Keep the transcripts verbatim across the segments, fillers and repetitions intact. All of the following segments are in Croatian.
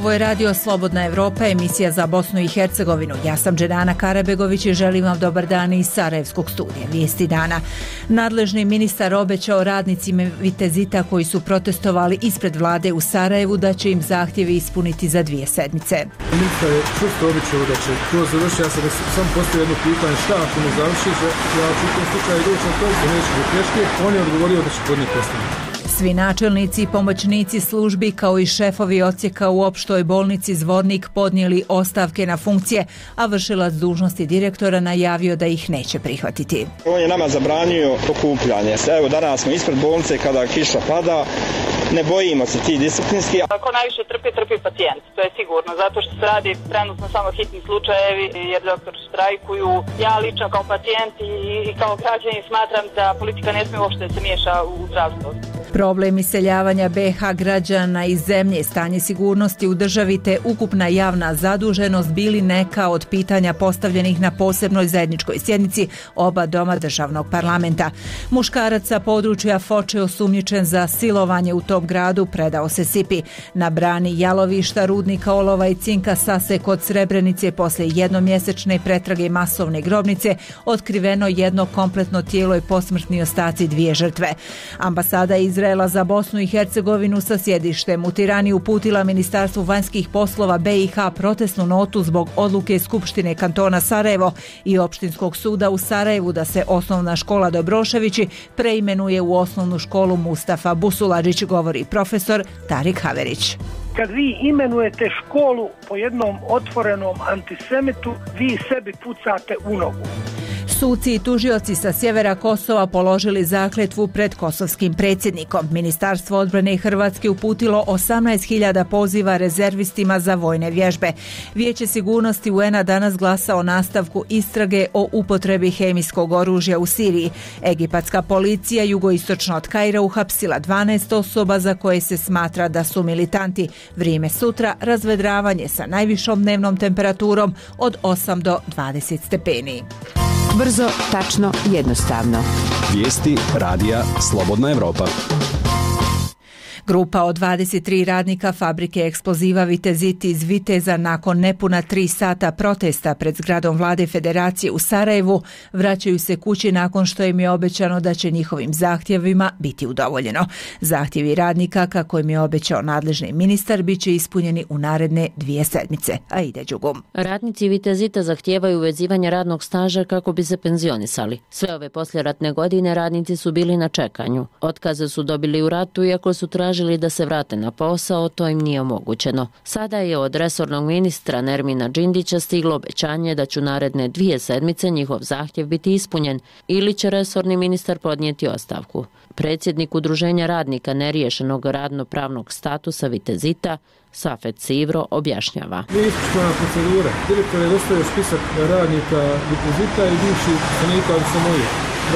Ovo je radio Slobodna Evropa, emisija za Bosnu i Hercegovinu. Ja sam Dženana Karabegović i želim vam dobar dan iz Sarajevskog studija. Vijesti dana. Nadležni ministar obećao radnicima Vitezita koji su protestovali ispred vlade u Sarajevu da će im zahtjevi ispuniti za dvije sedmice. Ministar je čvrsto obećao da će to završiti. Ja sam sam postavio jedno pitanje šta ako ne završiš, ja ću u tom slučaju doći na to se neće do pješke. On je odgovorio da će podnijeti ostavku. Svi načelnici i pomoćnici službi kao i šefovi odsjeka u opštoj bolnici Zvornik podnijeli ostavke na funkcije, a vršilac dužnosti direktora najavio da ih neće prihvatiti. On je nama zabranio okupljanje. Evo danas smo ispred bolnice kada kiša pada. Ne bojimo se ti disciplinski. Ako najviše trpi, trpi pacijent, to je sigurno, zato što se radi trenutno samo hitni slučajevi jer doktori štrajkuju. Ja lično kao pacijent i, i kao građanin smatram da politika ne smije uopšte se miješa u zdravstvo. Problem iseljavanja be ha građana iz zemlje, stanje sigurnosti u državi te ukupna javna zaduženost bili neka od pitanja postavljenih na posebnoj zajedničkoj sjednici oba doma državnog parlamenta. Muškarac sa područja Foče osumnjičen za silovanje u tom gradu predao se S I P I. Na brani jalovišta rudnika olova i cinka Sase kod Srebrenice posle jednomjesečne pretrage masovne grobnice otkriveno jedno kompletno tijelo i posmrtni ostaci dvije žrtve. Ambasada Izraela za Bosnu i Hercegovinu sa sjedištem u Tirani uputila Ministarstvu vanjskih poslova be i ha protestnu notu zbog odluke Skupštine kantona Sarajevo i Opštinskog suda u Sarajevu da se osnovna škola Dobroševići preimenuje u osnovnu školu Mustafa Busuladžić, govori profesor Tarik Haverić. Kad vi imenujete školu po jednom otvorenom antisemitu, vi sebi pucate u nogu. Suci i tužioci sa sjevera Kosova položili zakletvu pred kosovskim predsjednikom. Ministarstvo odbrane Hrvatske uputilo osamnaest hiljada poziva rezervistima za vojne vježbe. Vijeće sigurnosti u en a danas glasa o nastavku istrage o upotrebi hemijskog oružja u Siriji. Egipatska policija jugoistočno od Kaira uhapsila dvanaest osoba za koje se smatra da su militanti. Vrijeme sutra razvedravanje sa najvišom dnevnom temperaturom od osam do dvadeset stepeni. Brzo, tačno, jednostavno. Vijesti radija Slobodna Evropa. Grupa od dvadeset tri radnika fabrike eksploziva Vitezit iz Viteza nakon nepuna tri sata protesta pred zgradom vlade Federacije u Sarajevu vraćaju se kući nakon što im je obećano da će njihovim zahtjevima biti udovoljeno. Zahtjevi radnika, kako im je obećao nadležni ministar, bit će ispunjeni u naredne dvije sedmice. A ide Đugum. Radnici Vitezita zahtijevaju uvezivanje radnog staža kako bi se penzionisali. Sve ove poslijeratne godine radnici su bili na čekanju. Otkaze su dobili u ratu iako su tražili Tražili da se vrate na posao, to im nije omogućeno. Sada je od resornog ministra Nermina Džindića stiglo obećanje da će u naredne dvije sedmice njihov zahtjev biti ispunjen ili će resorni ministar podnijeti ostavku. Predsjednik Udruženja radnika neriješenog radno-pravnog statusa Vitezita, Safet Sivro, objašnjava. Ispoštovana procedura. Direktor je dostavio spisak radnika Vitezita i bivših stanika, ali samo je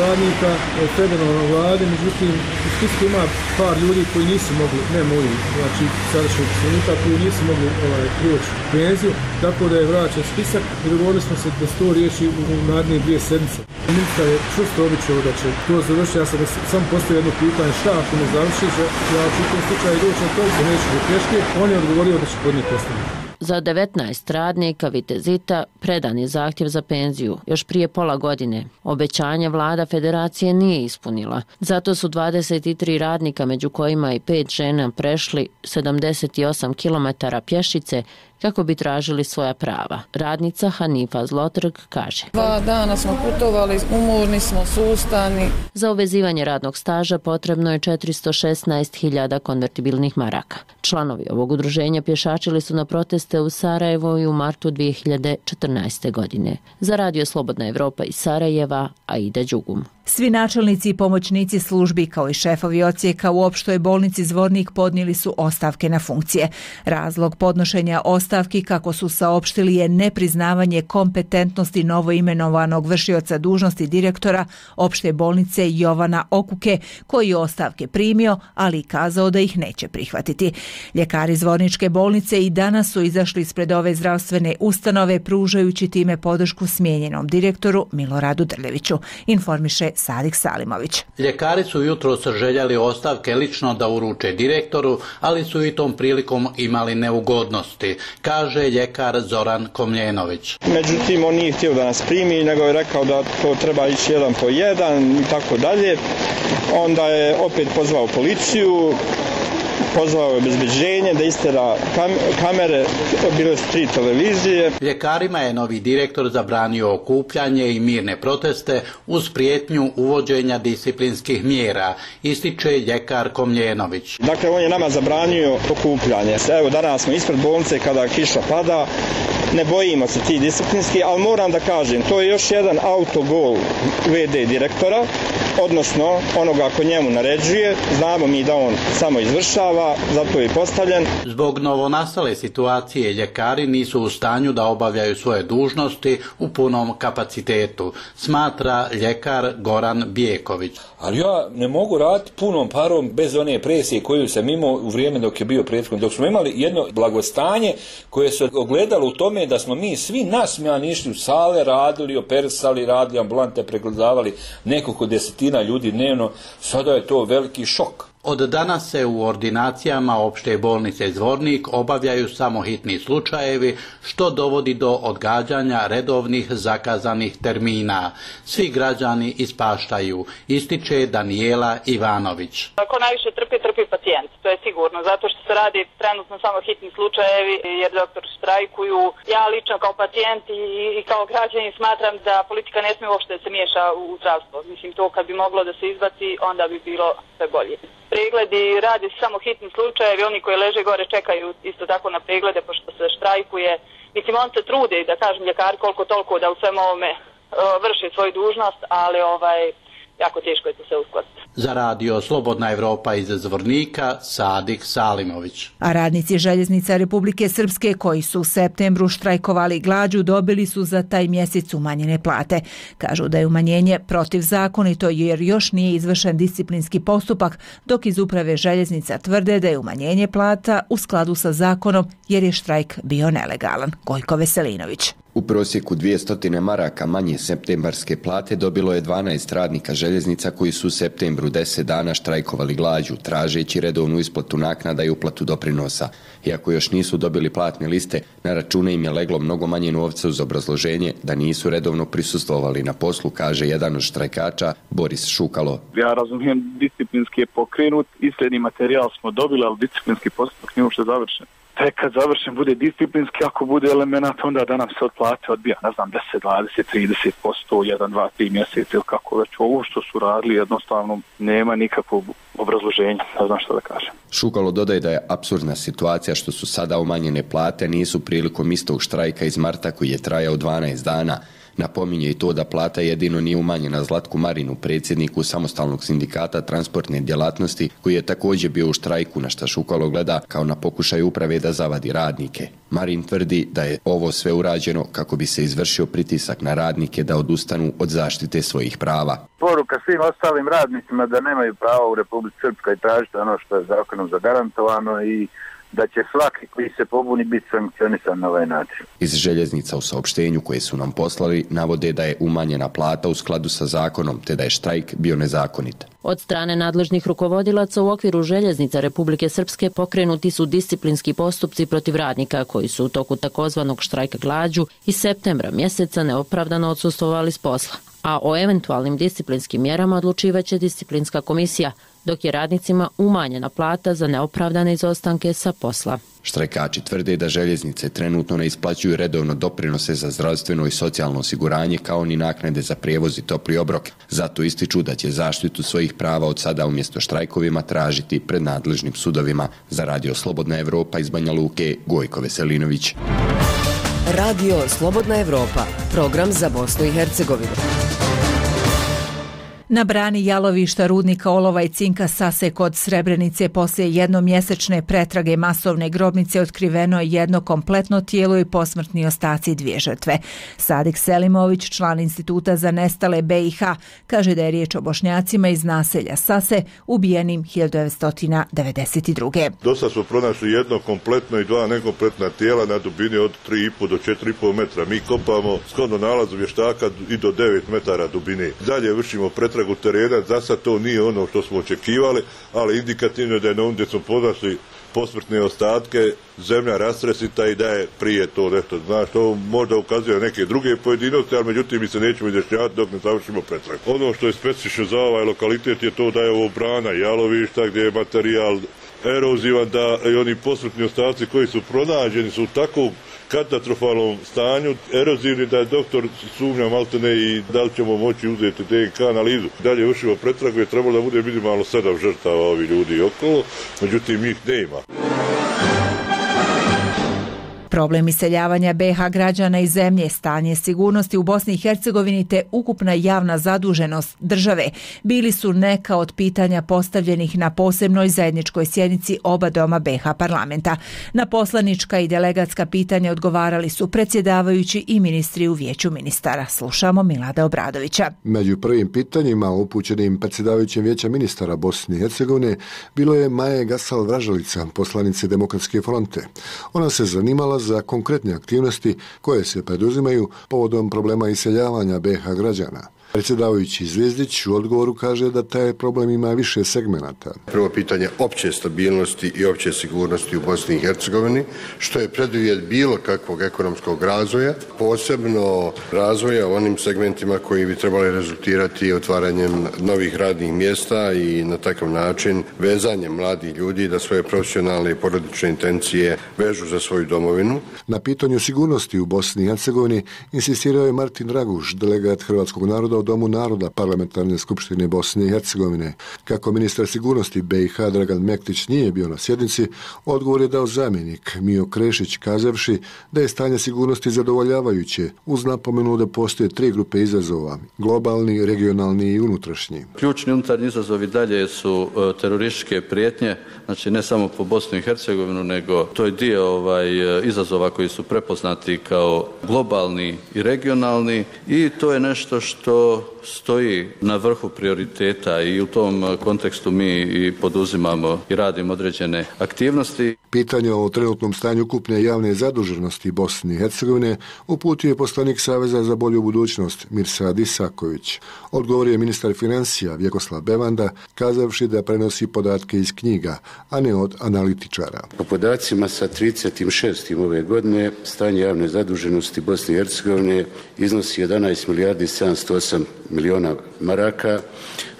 radnika federalne vlade, međutim u spisku ima par ljudi koji nisu mogli, ne moji, znači sadašnjih stanika koji nisu mogli ovaj, proći penziju, tako da je vraćen spisak i dogovorili smo se da se to riješi u, u naredne dvije sedmice. Ministar je čvrsto obećao da će to završiti. Ja sam sam postavio jedno pitanje šta ako ne završiš, ja ću u tom slučaju doći na to se neće do pješke. On je odgovorio da će podnijeti ostavku. Za devetnaest radnika Vitezita predan je zahtjev za penziju još prije pola godine. Obećanje vlada Federacije nije ispunila. Zato su dvadeset tri radnika, među kojima i pet žena, prešli sedamdeset osam kilometara pješice kako bi tražili svoja prava. Radnica Hanifa Zlotrg kaže: Dva dana smo putovali, umorni smo, sustani. Za uvezivanje radnog staža potrebno je četiristo šesnaest hiljada konvertibilnih maraka. Članovi ovog udruženja pješačili su na proteste u Sarajevo i u martu dvije hiljade četrnaeste. godine. Za Radio Slobodna Evropa iz Sarajeva, Aida Đugum. Svi načelnici i pomoćnici službi kao i šefovi odsjeka u opštoj bolnici Zvornik podnijeli su ostavke na funkcije. Razlog podnošenja ostavke ostavki, kako su saopštili, je nepriznavanje kompetentnosti novoimenovanog vršioca dužnosti direktora opšte bolnice Jovana Okuke, koji je ostavke primio, ali i kazao da ih neće prihvatiti. Ljekari Zvorničke bolnice i danas su izašli ispred ove zdravstvene ustanove, pružajući time podršku smijenjenom direktoru Miloradu Drljeviću, informiše Sadik Salimović. Ljekari su jutros željeli ostavke lično da uruče direktoru, ali su i tom prilikom imali neugodnosti, kaže ljekar Zoran Komljenović. Međutim, on nije htio da nas primi, nego je rekao da to treba ići jedan po jedan i tako dalje. Onda je opet pozvao policiju, pozvao je obezbeđenje da istera kam, kamere, bile su tri televizije. Ljekarima je novi direktor zabranio okupljanje i mirne proteste uz prijetnju uvođenja disciplinskih mjera, ističe ljekar Komljenović. Dakle, on je nama zabranio okupljanje. Evo, danas smo ispred bolnice kada kiša pada, ne bojimo se ti disciplinski, ali moram da kažem, to je još jedan autogol ve de direktora, odnosno onoga ko njemu naređuje. Znamo mi da on samo izvršava, zato je postavljen. Zbog novonastale situacije ljekari nisu u stanju da obavljaju svoje dužnosti u punom kapacitetu, smatra ljekar Goran Bijeković. Ali ja ne mogu raditi punom parom bez one presije koju sam imao u vrijeme dok je bio prethodni. Dok smo imali jedno blagostanje koje se ogledalo u tome da smo mi svi nasmijani išli u sale, radili, operisali, radili ambulante, pregledavali nekoliko desetina ljudi dnevno, sada je to veliki šok. Od danas se u ordinacijama opšte bolnice Zvornik obavljaju samo hitni slučajevi, što dovodi do odgađanja redovnih zakazanih termina. Svi građani ispaštaju, ističe Danijela Ivanović. Ako najviše trpi, trpi pacijent, to je sigurno, zato što se radi trenutno samo hitni slučajevi jer doktori štrajkuju. Ja lično kao pacijent i, i kao građanin smatram da politika ne smije uopšte da se miješa u zdravstvo. Mislim, to kad bi moglo da se izbaci, onda bi bilo sve bolje. Pregledi radi samo hitni slučajevi, oni koji leže gore čekaju isto tako na preglede pošto se štrajkuje. Mislim, on se trude, da kažem, ljekari koliko toliko da u svem ovome uh, vrši svoju dužnost, ali ovaj, jako teško je to sve uskladiti. Za radio Slobodna Evropa iz Zvornika, Sadik Salimović. A radnici Željeznica Republike Srpske koji su u septembru štrajkovali glađu dobili su za taj mjesec umanjene plate. Kažu da je umanjenje protivzakonito jer još nije izvršen disciplinski postupak, dok iz uprave Željeznica tvrde da je umanjenje plata u skladu sa zakonom jer je štrajk bio nelegalan. Gojko Veselinović. U prosjeku dvjesto maraka manje septembarske plate dobilo je dvanaest radnika željeznica koji su u septembru deset dana štrajkovali glađu, tražeći redovnu isplatu naknada i uplatu doprinosa. Iako još nisu dobili platne liste, na račune im je leglo mnogo manje novca uz obrazloženje da nisu redovno prisustvovali na poslu, kaže jedan od štrajkača Boris Šukalo. Ja razumijem, disciplinski je pokrenut, isljedni materijal smo dobili, ali disciplinski postupak nije uopšte završen. Tek kad završen bude disciplinski, ako bude elemenat, onda da nam se od plate odbija, ne znam, deset, dvadeset, trideset posto, jedan, dva, tri mjeseca ili kako već. Ovo što su radili jednostavno nema nikakvog obrazloženja, ne znam što da kažem. Šukalo dodaje da je apsurdna situacija što su sada umanjene plate, nisu prilikom istog štrajka iz marta koji je trajao dvanaest dana. Napominje i to da plata jedino nije umanjena Zlatku Marinu, predsjedniku samostalnog sindikata transportne djelatnosti, koji je također bio u štrajku, na šta Šukalo gleda kao na pokušaj uprave da zavadi radnike. Marin tvrdi da je ovo sve urađeno kako bi se izvršio pritisak na radnike da odustanu od zaštite svojih prava. Poruka svim ostalim radnicima da nemaju pravo u Republici Srpskoj tražiti ono što je zakonom zagarantovano i da će svaki koji se pobuni biti sankcionisan na ovaj način. Iz Željeznica u saopštenju koje su nam poslali navode da je umanjena plata u skladu sa zakonom, te da je štrajk bio nezakonit. Od strane nadležnih rukovodilaca u okviru Željeznica Republike Srpske pokrenuti su disciplinski postupci protiv radnika koji su u toku takozvanog štrajka glađu iz septembra mjeseca neopravdano odsustvovali s posla. A o eventualnim disciplinskim mjerama odlučivaće disciplinska komisija, dok je radnicima umanjena plata za neopravdane izostanke sa posla. Štrajkači tvrde da željeznice trenutno ne isplaćuju redovno doprinose za zdravstveno i socijalno osiguranje kao ni naknade za prijevoz i topli obrok. Zato ističu da će zaštitu svojih prava od sada umjesto štrajkovima tražiti pred nadležnim sudovima. Za radio Slobodna Evropa iz Banja Luke, Gojko Veselinović. Radio Slobodna Evropa, program za Bosnu i Hercegovinu. Na brani jalovišta rudnika olova i cinka Sase kod Srebrenice poslije jednomjesečne pretrage masovne grobnice otkriveno je jedno kompletno tijelo i posmrtni ostaci dvije žrtve. Sadik Selimović, član Instituta za nestale B i H, kaže da je riječ o Bošnjacima iz naselja Sase ubijenim hiljadu devetsto devedeset druge. Dosta smo pronašli jedno kompletno i dva nekompletna tijela na dubini od tri i po do četiri i po metra. Mi kopamo shodno nalazu vještaka i do devet metara dubine. Dalje vršimo pretragu terena, za sad to nije ono što smo očekivali, ali indikativno je da je na ovom gdje smo podašli posmrtne ostatke, zemlja rastresita i da je prije to nešto. Znaš, to možda ukazuje na neke druge pojedinosti, ali međutim mi se nećemo izjašnjavati dok ne završimo pretragu. Ono što je specifično za ovaj lokalitet je to da je ovo brana jalovišta gdje je materijal erozivan, da i oni posmrtni ostaci koji su pronađeni su u takvom katastrofalnom stanju, erozivni, da je doktor sumnja maltene i da li ćemo moći uzeti D N K analizu. Dalje vršimo pretragu, je trebalo da bude minimalno sedam žrtava ovi ljudi okolo, međutim ih nema. Problem iseljavanja B H građana iz zemlje, stanje sigurnosti u Bosni i Hercegovini te ukupna javna zaduženost države bili su neka od pitanja postavljenih na posebnoj zajedničkoj sjednici oba doma B H parlamenta. Na poslanička i delegatska pitanja odgovarali su predsjedavajući i ministri u vijeću ministara. Slušamo Milada Obradovića. Među prvim pitanjima upućenim predsjedavajućem vijeća ministara Bosne i Hercegovine bilo je Maje Gasal Vražalica, poslanice Demokratske fronte. Ona se zanimala za konkretne aktivnosti koje se preduzimaju povodom problema iseljavanja B H građana. Predsjedavajući Zvijezdić u odgovoru kaže da taj problem ima više segmenata. Prvo pitanje opće stabilnosti i opće sigurnosti u Bosni i Hercegovini, što je preduvjet bilo kakvog ekonomskog razvoja, posebno razvoja u onim segmentima koji bi trebali rezultirati otvaranjem novih radnih mjesta i na takav način vezanjem mladih ljudi da svoje profesionalne i porodične intencije vežu za svoju domovinu. Na pitanju sigurnosti u Bosni i Hercegovini insistirao je Martin Draguš, delegat Hrvatskog naroda u Domu naroda Parlamentarne skupštine Bosne i Hercegovine. Kako ministar sigurnosti B i H Dragan Mektić nije bio na sjednici, odgovor je dao zamjenik Mio Krešić kazavši da je stanje sigurnosti zadovoljavajuće, uz napomenu da postoje tri grupe izazova, globalni, regionalni i unutrašnji. Ključni unutarnji izazovi dalje su terorističke prijetnje, znači ne samo po Bosnu i Hercegovinu, nego to je dio ovaj, izazova koji su prepoznati kao globalni i regionalni i to je nešto što stoji na vrhu prioriteta i u tom kontekstu mi i poduzimamo i radimo određene aktivnosti. Pitanje o trenutnom stanju ukupne javne zaduženosti Bosne i Hercegovine uputio je poslanik Saveza za bolju budućnost Mirsad Isaković. Odgovor je ministar financija Vjekoslav Bevanda kazavši da prenosi podatke iz knjiga, a ne od analitičara. Po podacima sa trideset šestom ove godine stanje javne zaduženosti Bosne i Hercegovine iznosi jedanaest milijardi sedamsto osam miliona maraka,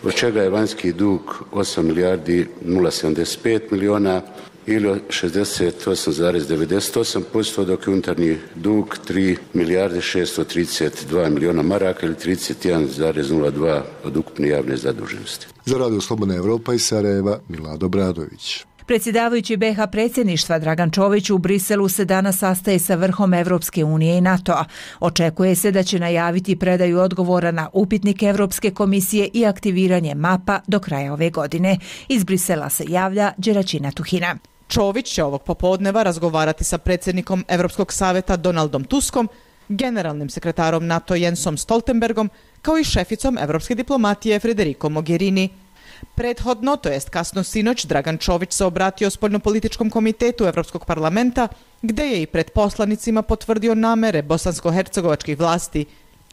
od čega je vanjski dug osam milijardi nula sedamdeset pet miliona ili šezdeset osam zarez devedeset osam posto, dok je unutarnji dug tri milijarde šesto trideset dva miliona maraka ili trideset jedan zarez nula dva od ukupne javne zaduženosti. Za Radio Slobodna Evropa iz Sarajeva, Milado Bradović. Predsjedavajući B H predsjedništva Dragan Čović u Briselu se danas sastaje sa vrhom Evropske unije i NATO-a. Očekuje se da će najaviti predaju odgovora na upitnik Evropske komisije i aktiviranje mapa do kraja ove godine. Iz Brisela se javlja Đeračina Tuhina. Čović će ovog popodneva razgovarati sa predsjednikom Evropskog savjeta Donaldom Tuskom, generalnim sekretarom NATO Jensom Stoltenbergom, kao i šeficom evropske diplomatije Federico Mogherini. Prethodno, to jest kasno sinoć, Dragan Čović se obratio spoljnopolitičkom komitetu Evropskog parlamenta, gde je i pred poslanicima potvrdio namere bosansko-hercegovačkih vlasti.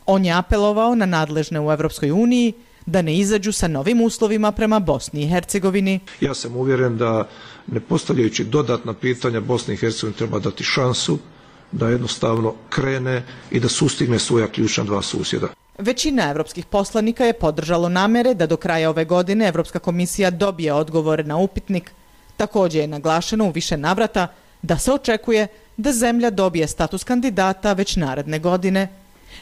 On je apelovao na nadležne u Evropskoj uniji da ne izađu sa novim uslovima prema Bosni i Hercegovini. Ja sam uvjeren da ne postavljajući dodatna pitanja Bosni i Hercegovini treba dati šansu da jednostavno krene i da sustigne svoja ključna dva susjeda. Većina evropskih poslanika je podržalo namere da do kraja ove godine Evropska komisija dobije odgovore na upitnik. Također je naglašeno u više navrata da se očekuje da zemlja dobije status kandidata već naredne godine.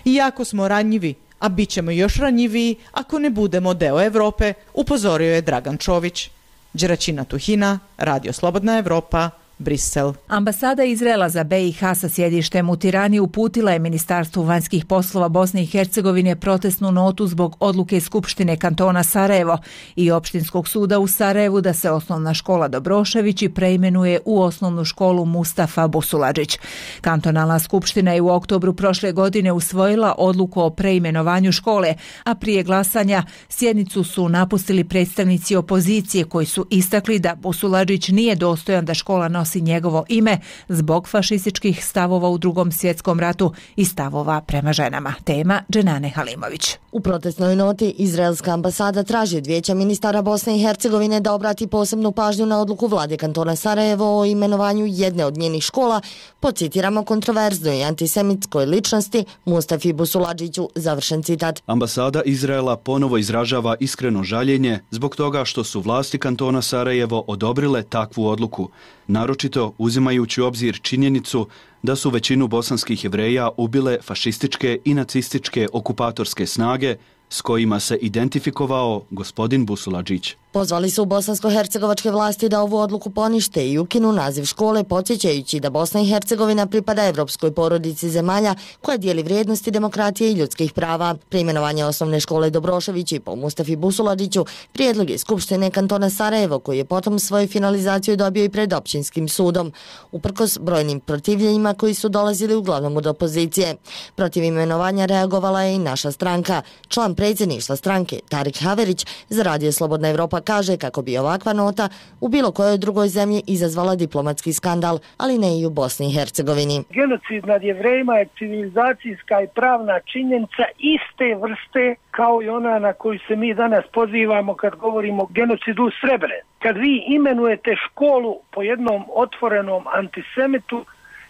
Iako smo ranjivi, a bit ćemo još ranjiviji ako ne budemo deo Evrope, upozorio je Dragan Čović. Đeračina Tuhina, Radio Slobodna Evropa, Brisel. Ambasada Izraela za B i H sa sjedištem u Tirani uputila je Ministarstvu vanjskih poslova Bosne i Hercegovine protestnu notu zbog odluke Skupštine kantona Sarajevo i Opštinskog suda u Sarajevu da se osnovna škola Dobroševići preimenuje u osnovnu školu Mustafa Busuladžić. Kantonalna skupština je u oktobru prošle godine usvojila odluku o preimenovanju škole, a prije glasanja sjednicu su napustili predstavnici opozicije koji su istakli da Busuladžić nije dostojan da škola nosi njegovo ime zbog fašističkih stavova u Drugom svjetskom ratu i stavova prema ženama. Tema Dženane Halimović. U protestnoj noti izraelska ambasada traži od Vijeća ministara Bosne i Hercegovine da obrati posebnu pažnju na odluku vlade kantona Sarajevo o imenovanju jedne od njenih škola po, citiramo, kontroverznoj i antisemitskoj ličnosti Mustafi Busuladžiću, završen citat. Ambasada Izraela ponovo izražava iskreno žaljenje zbog toga što su vlasti kantona Sarajevo odobrile takvu odluku, naročito uzimajući u obzir činjenicu da su većinu bosanskih Jevreja ubile fašističke i nacističke okupatorske snage s kojima se identifikovao gospodin Busuladžić. Pozvali su bosansko-hercegovačke vlasti da ovu odluku ponište i ukinu naziv škole, podsjećajući da Bosna i Hercegovina pripada evropskoj porodici zemalja koja dijeli vrijednosti demokratije i ljudskih prava. Preimenovanje osnovne škole Dobroševići po Mustafi Busuladžiću prijedlog je Skupštine kantona Sarajevo, koji je potom svoju finalizaciju dobio i pred općinskim sudom, uprkos brojnim protivljenjima koji su dolazili uglavnom od opozicije. Protiv imenovanja reagovala je i naša stranka. Član predsjedništva stranke Tarik Haverić za Radio Slobodna Evropa kaže kako bi ovakva nota u bilo kojoj drugoj zemlji izazvala diplomatski skandal, ali ne i u Bosni i Hercegovini. Genocid nad Jevrejima je civilizacijska i pravna činjenica iste vrste kao i ona na koju se mi danas pozivamo kad govorimo o genocidu u Srebrenici. Kad vi imenujete školu po jednom otvorenom antisemitu,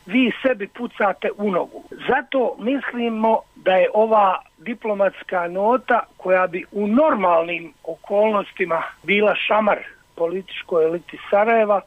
vi sebi pucate u nogu. Zato mislimo da je ova diplomatska nota, koja bi u normalnim okolnostima bila šamar političkoj eliti Sarajeva,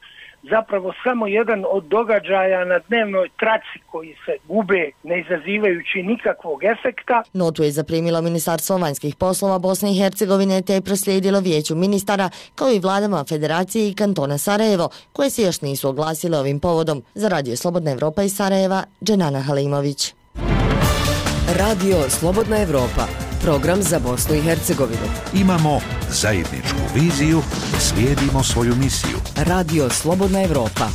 zapravo samo jedan od događaja na dnevnoj traci koji se gube ne izazivajući nikakvog efekta. Notu je zaprimilo Ministarstvo vanjskih poslova Bosne i Hercegovine te je proslijedilo Vijeću ministara kao i vladama Federacije i kantona Sarajevo, koje se još nisu oglasile ovim povodom. Za Radio Slobodna Evropa iz Sarajeva, Dženana Halimović. Radio Slobodna Evropa, program za Bosnu i Hercegovinu. Imamo zajedničku viziju, slijedimo svoju misiju. Radio Slobodna Evropa.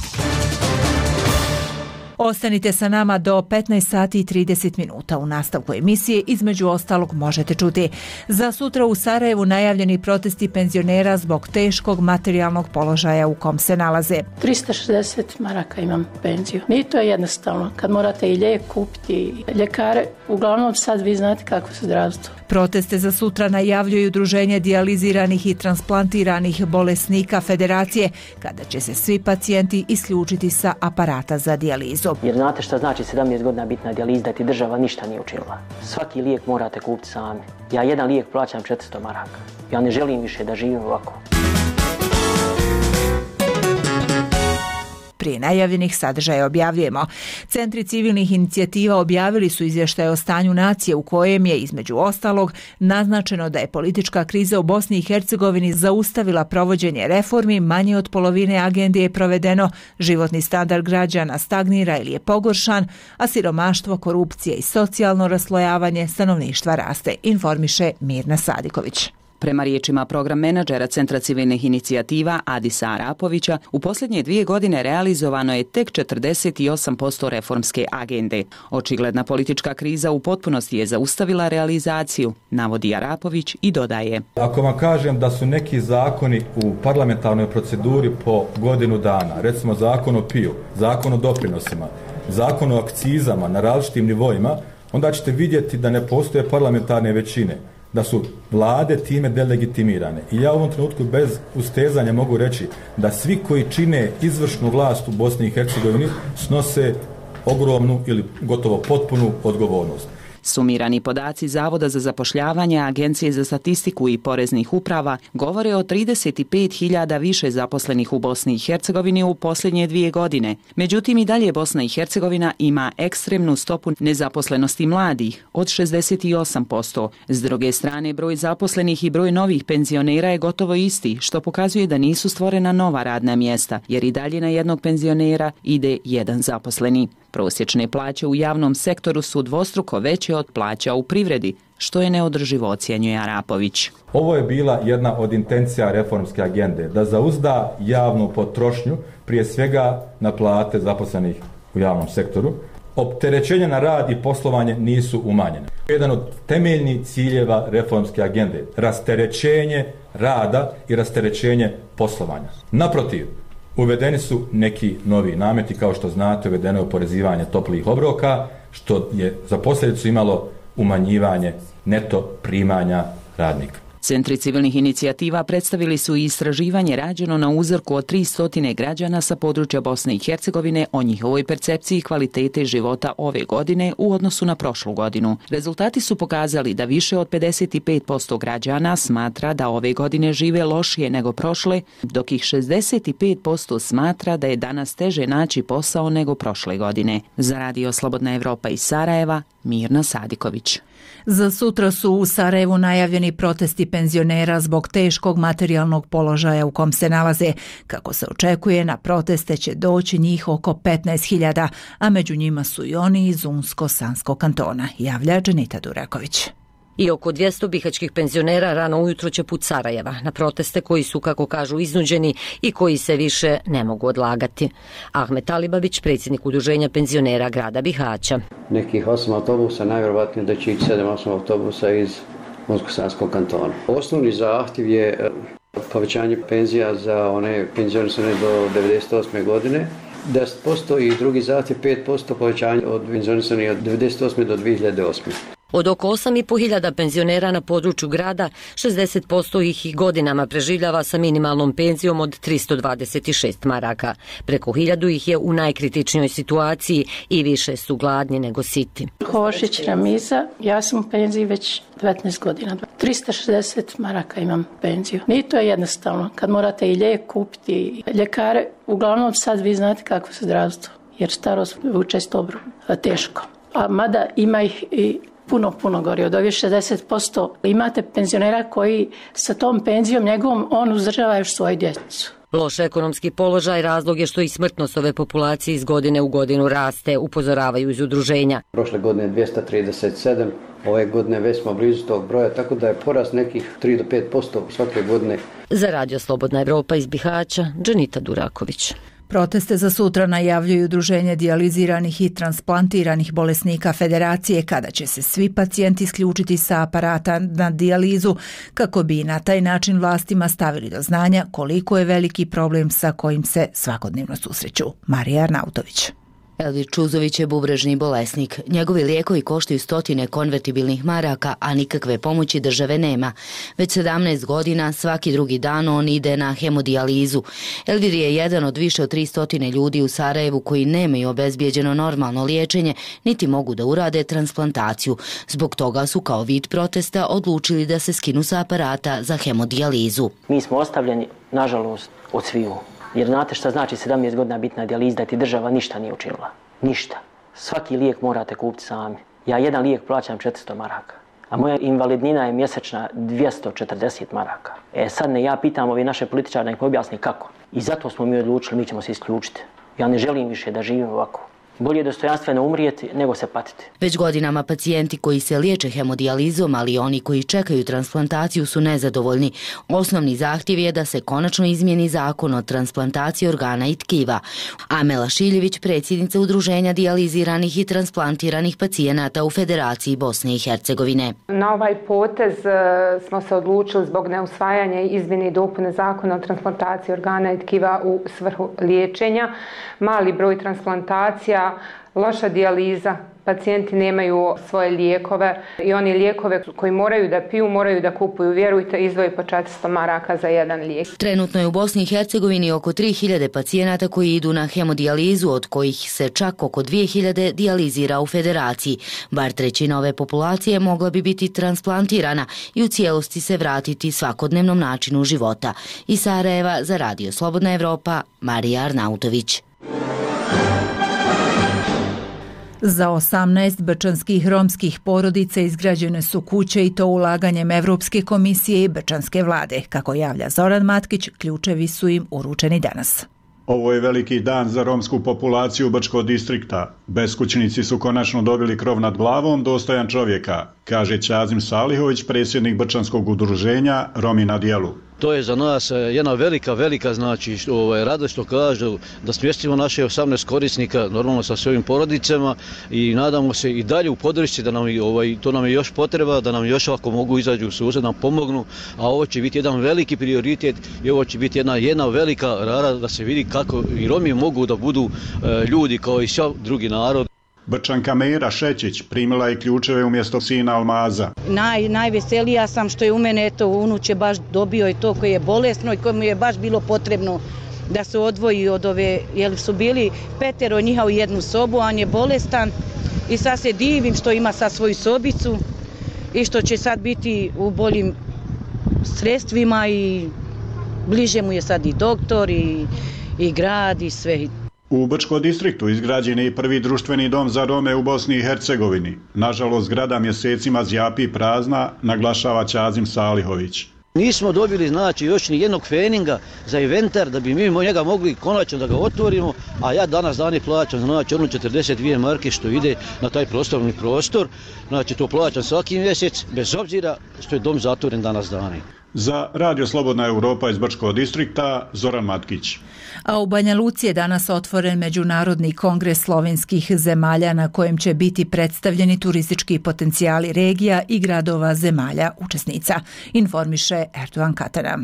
Ostanite sa nama do petnaest sati i trideset minuta. U nastavku emisije između ostalog možete čuti: za sutra u Sarajevu najavljeni protesti penzionera zbog teškog materijalnog položaja u kom se nalaze. trista šezdeset maraka imam penziju. Nije to jednostavno. Kad morate i lijek kupiti i ljekare, uglavnom sad vi znate kako se zdravstvo. Proteste za sutra najavljuju Udruženje dijaliziranih i transplantiranih bolesnika Federacije, kada će se svi pacijenti isključiti sa aparata za dijalizu. Jer znate šta znači sedamnaest godina biti na dijalizi, da ti država ništa nije učinila. Svaki lijek morate kupiti sami. Ja jedan lijek plaćam četiristo maraka. Ja ne želim više da živim ovako. Prije najavljenih sadržaja objavljujemo. Centri civilnih inicijativa objavili su izvještaj o stanju nacije u kojem je, između ostalog, naznačeno da je politička kriza u Bosni i Hercegovini zaustavila provođenje reformi, manje od polovine agende je provedeno, životni standard građana stagnira ili je pogoršan, a siromaštvo, korupcija i socijalno raslojavanje stanovništva raste, informiše Mirna Sadiković. Prema riječima program menadžera Centra civilnih inicijativa Adisa Arapovića, u posljednje dvije godine realizovano je tek četrdeset osam posto reformske agende. Očigledna politička kriza u potpunosti je zaustavila realizaciju, navodi Arapović i dodaje: ako vam kažem da su neki zakoni u parlamentarnoj proceduri po godinu dana, recimo zakon o piju, zakon o doprinosima, zakon o akcizama na različitim nivoima, onda ćete vidjeti da ne postoje parlamentarne većine, da su vlade time delegitimirane. I ja u ovom trenutku bez ustezanja mogu reći da svi koji čine izvršnu vlast u Bosni i Hercegovini snose ogromnu ili gotovo potpunu odgovornost. Sumirani podaci Zavoda za zapošljavanje, Agencije za statistiku i poreznih uprava govore o trideset pet hiljada više zaposlenih u Bosni i Hercegovini u posljednje dvije godine. Međutim, i dalje Bosna i Hercegovina ima ekstremnu stopu nezaposlenosti mladih od šezdeset osam posto. S druge strane, broj zaposlenih i broj novih penzionera je gotovo isti, što pokazuje da nisu stvorena nova radna mjesta, jer i dalje na jednog penzionera ide jedan zaposleni. Prosječne plaće u javnom sektoru su dvostruko veće od plaća u privredi, što je neodrživo, ocjenjuje Arapović. Ovo je bila jedna od intencija reformske agende, da zauzda javnu potrošnju, prije svega na plate zaposlenih u javnom sektoru. Opterećenja na rad i poslovanje nisu umanjene. Jedan od temeljnih ciljeva reformske agende, rasterećenje rada i rasterećenje poslovanja. Naprotiv, uvedeni su neki novi nameti, kao što znate, uvedeno je oporezivanje toplih obroka, što je za posljedicu imalo umanjivanje neto primanja radnika. Centri civilnih inicijativa predstavili su i istraživanje rađeno na uzorku od tristo građana sa područja Bosne i Hercegovine o njihovoj percepciji kvalitete života ove godine u odnosu na prošlu godinu. Rezultati su pokazali da više od pedeset pet posto građana smatra da ove godine žive lošije nego prošle, dok ih šezdeset pet posto smatra da je danas teže naći posao nego prošle godine. Za Radio Slobodna Evropa iz Sarajeva, Mirna Sadiković. Za sutra su u Sarajevu najavljeni protesti penzionera zbog teškog materijalnog položaja u kom se nalaze. Kako se očekuje, na proteste će doći njih oko petnaest hiljada, a među njima su i oni iz Unsko-Sanskog kantona, javlja Dženita Duraković. I oko dvjesto bihaćkih penzionera rano ujutro će put Sarajeva na proteste koji su, kako kažu, iznuđeni i koji se više ne mogu odlagati. Ahmet Alibabić, predsjednik udruženja penzionera grada Bihaća. Nekih osam autobusa, najvjerovatnije da će ići sedam osam autobusa iz Unsko-Sanskog kantona. Osnovni zahtjev je povećanje penzija za one penzionisane do devedeset osme godine. deset posto i drugi zahtjev pet posto povećanje od penzionisane od devedeset osme do dvije hiljade osme. Od oko osam i po hiljada penzionera na području grada, šezdeset posto ih i godinama preživljava sa minimalnom penzijom od tristo dvadeset šest maraka. Preko hiljadu ih je u najkritičnijoj situaciji i više su gladni nego siti. Hošić Ramiza, ja sam u penziji već devetnaest godina. tristo šezdeset maraka imam penziju. Nije to jednostavno. Kad morate i lijek kupiti, ljekare, uglavnom sad vi znate kako se zdravstvo, jer starost vuče stobru teško. A mada ima ih i puno, puno gori. Od ovih šezdeset posto imate penzionera koji sa tom penzijom njegovom on uzdržava još svoju djecu. Loš ekonomski položaj razlog je što i smrtnost ove populacije iz godine u godinu raste, upozoravaju iz udruženja. Prošle godine dvjesto trideset sedam, ove godine već smo blizu tog broja, tako da je porast nekih tri do pet posto svake godine. Za Radio Slobodna Evropa iz Bihaća, Dženita Duraković. Proteste za sutra najavljuju Udruženje dijaliziranih i transplantiranih bolesnika Federacije, kada će se svi pacijenti isključiti sa aparata na dijalizu, kako bi na taj način vlastima stavili do znanja koliko je veliki problem sa kojim se svakodnevno susreću. Marija Arnautović. Elvir Čuzović je bubrežni bolesnik. Njegovi lijekovi koštaju stotine konvertibilnih maraka, a nikakve pomoći države nema. Već sedamnaest godina svaki drugi dan on ide na hemodijalizu. Elvir je jedan od više od tristo ljudi u Sarajevu koji nemaju obezbijeđeno normalno liječenje, niti mogu da urade transplantaciju. Zbog toga su kao vid protesta odlučili da se skinu sa aparata za hemodijalizu. Mi smo ostavljeni, nažalost, od sviju. Jer znate šta znači sedamnaest godina biti na dijalizi, da ti država ništa nije učinila. Ništa. Svaki lijek morate kupiti sami. Ja jedan lijek plaćam četiristo maraka, a moja invalidnina je mjesečna dvjesto četrdeset maraka. E sad ne ja pitam ovi naše političare da ih objasni kako. I zato smo mi odlučili, mi ćemo se isključiti. Ja ne želim više da živim ovako. Bolje dostojanstveno umrijeti nego se patiti. Već godinama pacijenti koji se liječe hemodijalizom, ali i oni koji čekaju transplantaciju su nezadovoljni. Osnovni zahtjev je da se konačno izmijeni zakon o transplantaciji organa i tkiva. Amela Šiljević, predsjednica Udruženja dijaliziranih i transplantiranih pacijenata u Federaciji Bosne i Hercegovine. Na ovaj potez smo se odlučili zbog neusvajanja izmjene i dopune zakona o transplantaciji organa i tkiva u svrhu liječenja. Mali broj transplantacija, loša dijaliza pacijenti nemaju svoje lijekove i oni lijekove koji moraju da piju, moraju da kupuju, vjerujte, izdvoji po četiristo maraka za jedan lijek. Trenutno je u Bosni i Hercegovini oko tri hiljade pacijenata koji idu na hemodijalizu, od kojih se čak oko dvije hiljade dijalizira u Federaciji. Bar trećina ove populacije mogla bi biti transplantirana i u cijelosti se vratiti svakodnevnom načinu života. Iz Sarajeva za Radio Slobodna Evropa, Marija Arnautović. Za osamnaest bečanskih romskih porodica izgrađene su kuće i to ulaganjem Evropske komisije i bečanske vlade. Kako javlja Zoran Matkić, ključevi su im uručeni danas. Ovo je veliki dan za romsku populaciju Brčkog distrikta. Beskućnici su konačno dobili krov nad glavom dostojan čovjeka, kaže Ćazim Salihović, predsjednik Brčanskog udruženja Romi na dijelu. To je za nas jedna velika, velika znači ovaj, radost što kažu da smjestimo naše osamnaest korisnika normalno sa svojim porodicama i nadamo se i dalje u podršci da nam ovaj, to nam je još potreba, da nam još ako mogu izađu u susret, nam pomognu, a ovo će biti jedan veliki prioritet i ovo će biti jedna, jedna velika rara da se vidi kako i Romi mogu da budu e, ljudi kao i svi drugi narod. Brčanka Mera Šećić primila je ključeve umjesto sina Almaza. Naj, najveselija sam što je u mene eto, unuče baš dobio i to koji je bolesno i kojemu je baš bilo potrebno da se odvoji od ove, jer su bili petero njiha u jednu sobu, a on je bolestan i sad se divim što ima sad svoju sobicu i što će sad biti u boljim sredstvima i bliže mu je sad i doktor i, i grad i sve. U Brčkom distriktu izgrađen je i prvi društveni dom za Rome u Bosni i Hercegovini. Nažalost, zgrada mjesecima zjapi prazna, naglašava Ćazim Salihović. Nismo dobili znači još ni jednog feninga za inventar da bi mi njega mogli konačno da ga otvorimo, a ja danas dani plaćam znači ono četrdeset dvije marke što ide na taj prostorni prostor, znači to plaćam svaki mjesec bez obzira što je dom zatvoren danas dani. Za Radio Slobodna Evropa iz Brčkog distrikta, Zoran Matkić. A u Banja Luci je danas otvoren Međunarodni kongres slovenskih zemalja na kojem će biti predstavljeni turistički potencijali regija i gradova zemalja učesnica, informiše Erdogan Katana.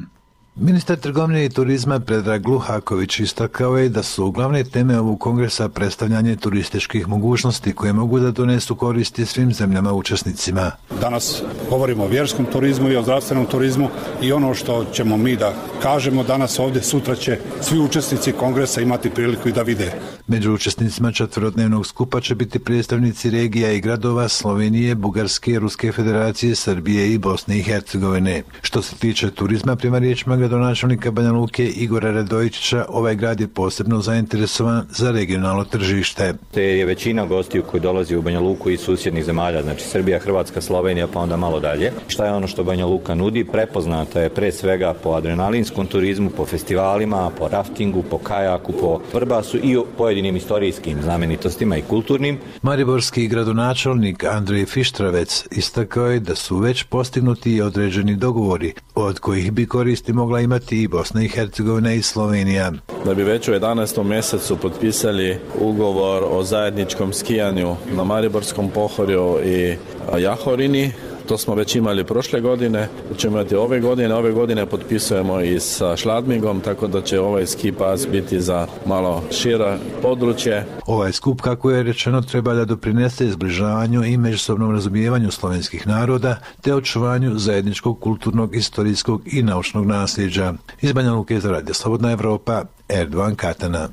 Ministar trgovine i turizma Predrag Luhaković istakao je da su glavne teme ovog kongresa predstavljanje turističkih mogućnosti koje mogu da donesu koristi svim zemljama učesnicima. Danas govorimo o vjerskom turizmu i o zdravstvenom turizmu i ono što ćemo mi da kažemo danas ovdje, sutra će svi učesnici kongresa imati priliku i da vide. Među učesnicima četverodnevnog skupa će biti predstavnici regija i gradova Slovenije, Bugarske, Ruske federacije, Srbije i Bosne i Hercegovine. Što se tiče turizma, prema riječima gradonačelnika Banja Luke Igora Radojičića, ovaj grad je posebno zainteresovan za regionalno tržište. Te je većina gostiju koji dolazi u Banja Luku iz susjednih zemalja, znači Srbija, Hrvatska, Slovenija, pa onda malo dalje. Šta je ono što Banja Luka nudi? Prepoznata je pre svega po adrenalinskom turizmu, po festivalima, po raftingu, po kajaku, po vrbasu i pojedinim istorijskim znamenitostima i kulturnim. Mariborski gradonačelnik Andrej Fištravec istakao je da su već postignuti određeni dogovori, od kojih bi koristi mogla imati i Bosna i Hercegovina i Slovenija. Da bi već u jedanaestom mjesecu potpisali ugovor o zajedničkom skijanju na Mariborskom pohorju i Jahorini. To smo već imali prošle godine, ćemo imati ove godine, ove godine potpisujemo i sa Šladmingom, tako da će ovaj ski pas biti za malo šira područje. Ovaj skup, kako je rečeno, treba da doprinese zbližavanju i međusobnom razumijevanju slovenskih naroda, te očuvanju zajedničkog kulturnog, istorijskog i naučnog nasljeđa. Iz Banja Luke za Radio Slobodna Evropa, Erdogan Katana.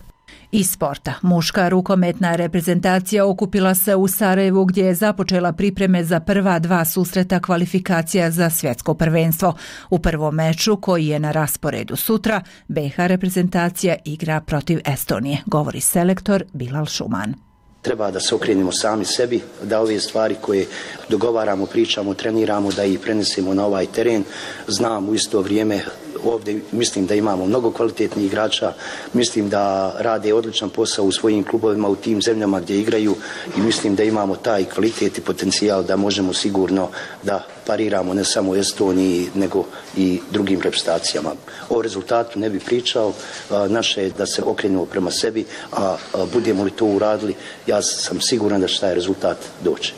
Iz sporta. Muška rukometna reprezentacija okupila se u Sarajevu gdje je započela pripreme za prva dva susreta kvalifikacija za svjetsko prvenstvo. U prvom meču, koji je na rasporedu sutra, be ha reprezentacija igra protiv Estonije, govori selektor Bilal Šuman. Treba da se okrenemo sami sebi, da ove stvari koje dogovaramo, pričamo, treniramo, da ih prenesemo na ovaj teren. Znam u isto vrijeme ovdje mislim da imamo mnogo kvalitetnih igrača, mislim da rade odličan posao u svojim klubovima u tim zemljama gdje igraju i mislim da imamo taj kvalitet i potencijal da možemo sigurno da pariramo ne samo Estoniji nego i drugim reprezentacijama. O rezultatu ne bi pričao, naše je da se okrenemo prema sebi, a budemo li to uradili, ja sam siguran da će taj rezultat doći.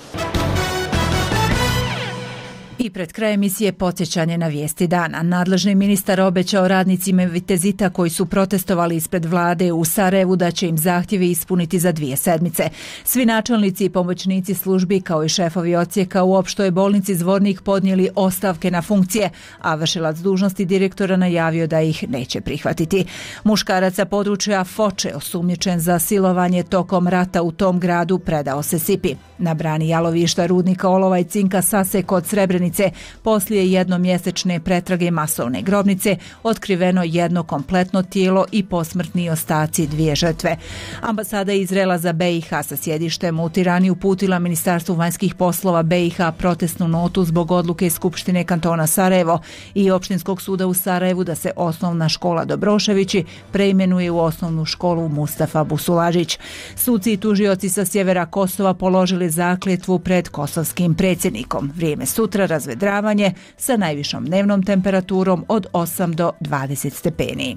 I pred kraj emisije podsjećanje na vijesti dana. Nadležni ministar obećao radnicima Vitezita koji su protestovali ispred vlade u Sarajevu da će im zahtjeve ispuniti za dvije sedmice. Svi načelnici i pomoćnici službi kao i šefovi odsjeka u opštoj bolnici Zvornik podnijeli ostavke na funkcije, a vršilac dužnosti direktora najavio da ih neće prihvatiti. Muškarac sa područja Foče, osumnjičen za silovanje tokom rata u tom gradu, predao se S I P I. Na brani jalovišta rudnika olova i cinka Sase kod Srebrenice poslije jednomjesečne pretrage masovne grobnice otkriveno jedno kompletno tijelo i posmrtni ostaci dvije žrtve. Ambasada Izraela za B i H sa sjedištem u Tirani uputila Ministarstvu vanjskih poslova B i H protestnu notu zbog odluke Skupštine kantona Sarajevo i Opštinskog suda u Sarajevu da se osnovna škola Dobroševići preimenuje u osnovnu školu Mustafa Busulažić. Suci i tužioci sa sjevera Kosova položili zakletvu pred kosovskim predsjednikom. Vrijeme sutra razvedravanje sa najvišom dnevnom temperaturom od osam do dvadeset stepeni.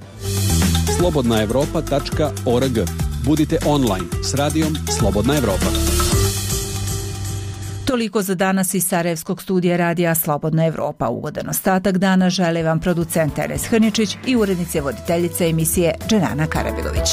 slobodna evropa tačka org. Budite online s radijom Slobodna Evropa. Toliko za danas iz Sarajevskog studija radija Slobodna Evropa. Ugodan ostatak dana žele vam producent Enes Hrničić i urednice voditeljice emisije Dženana Karabegović.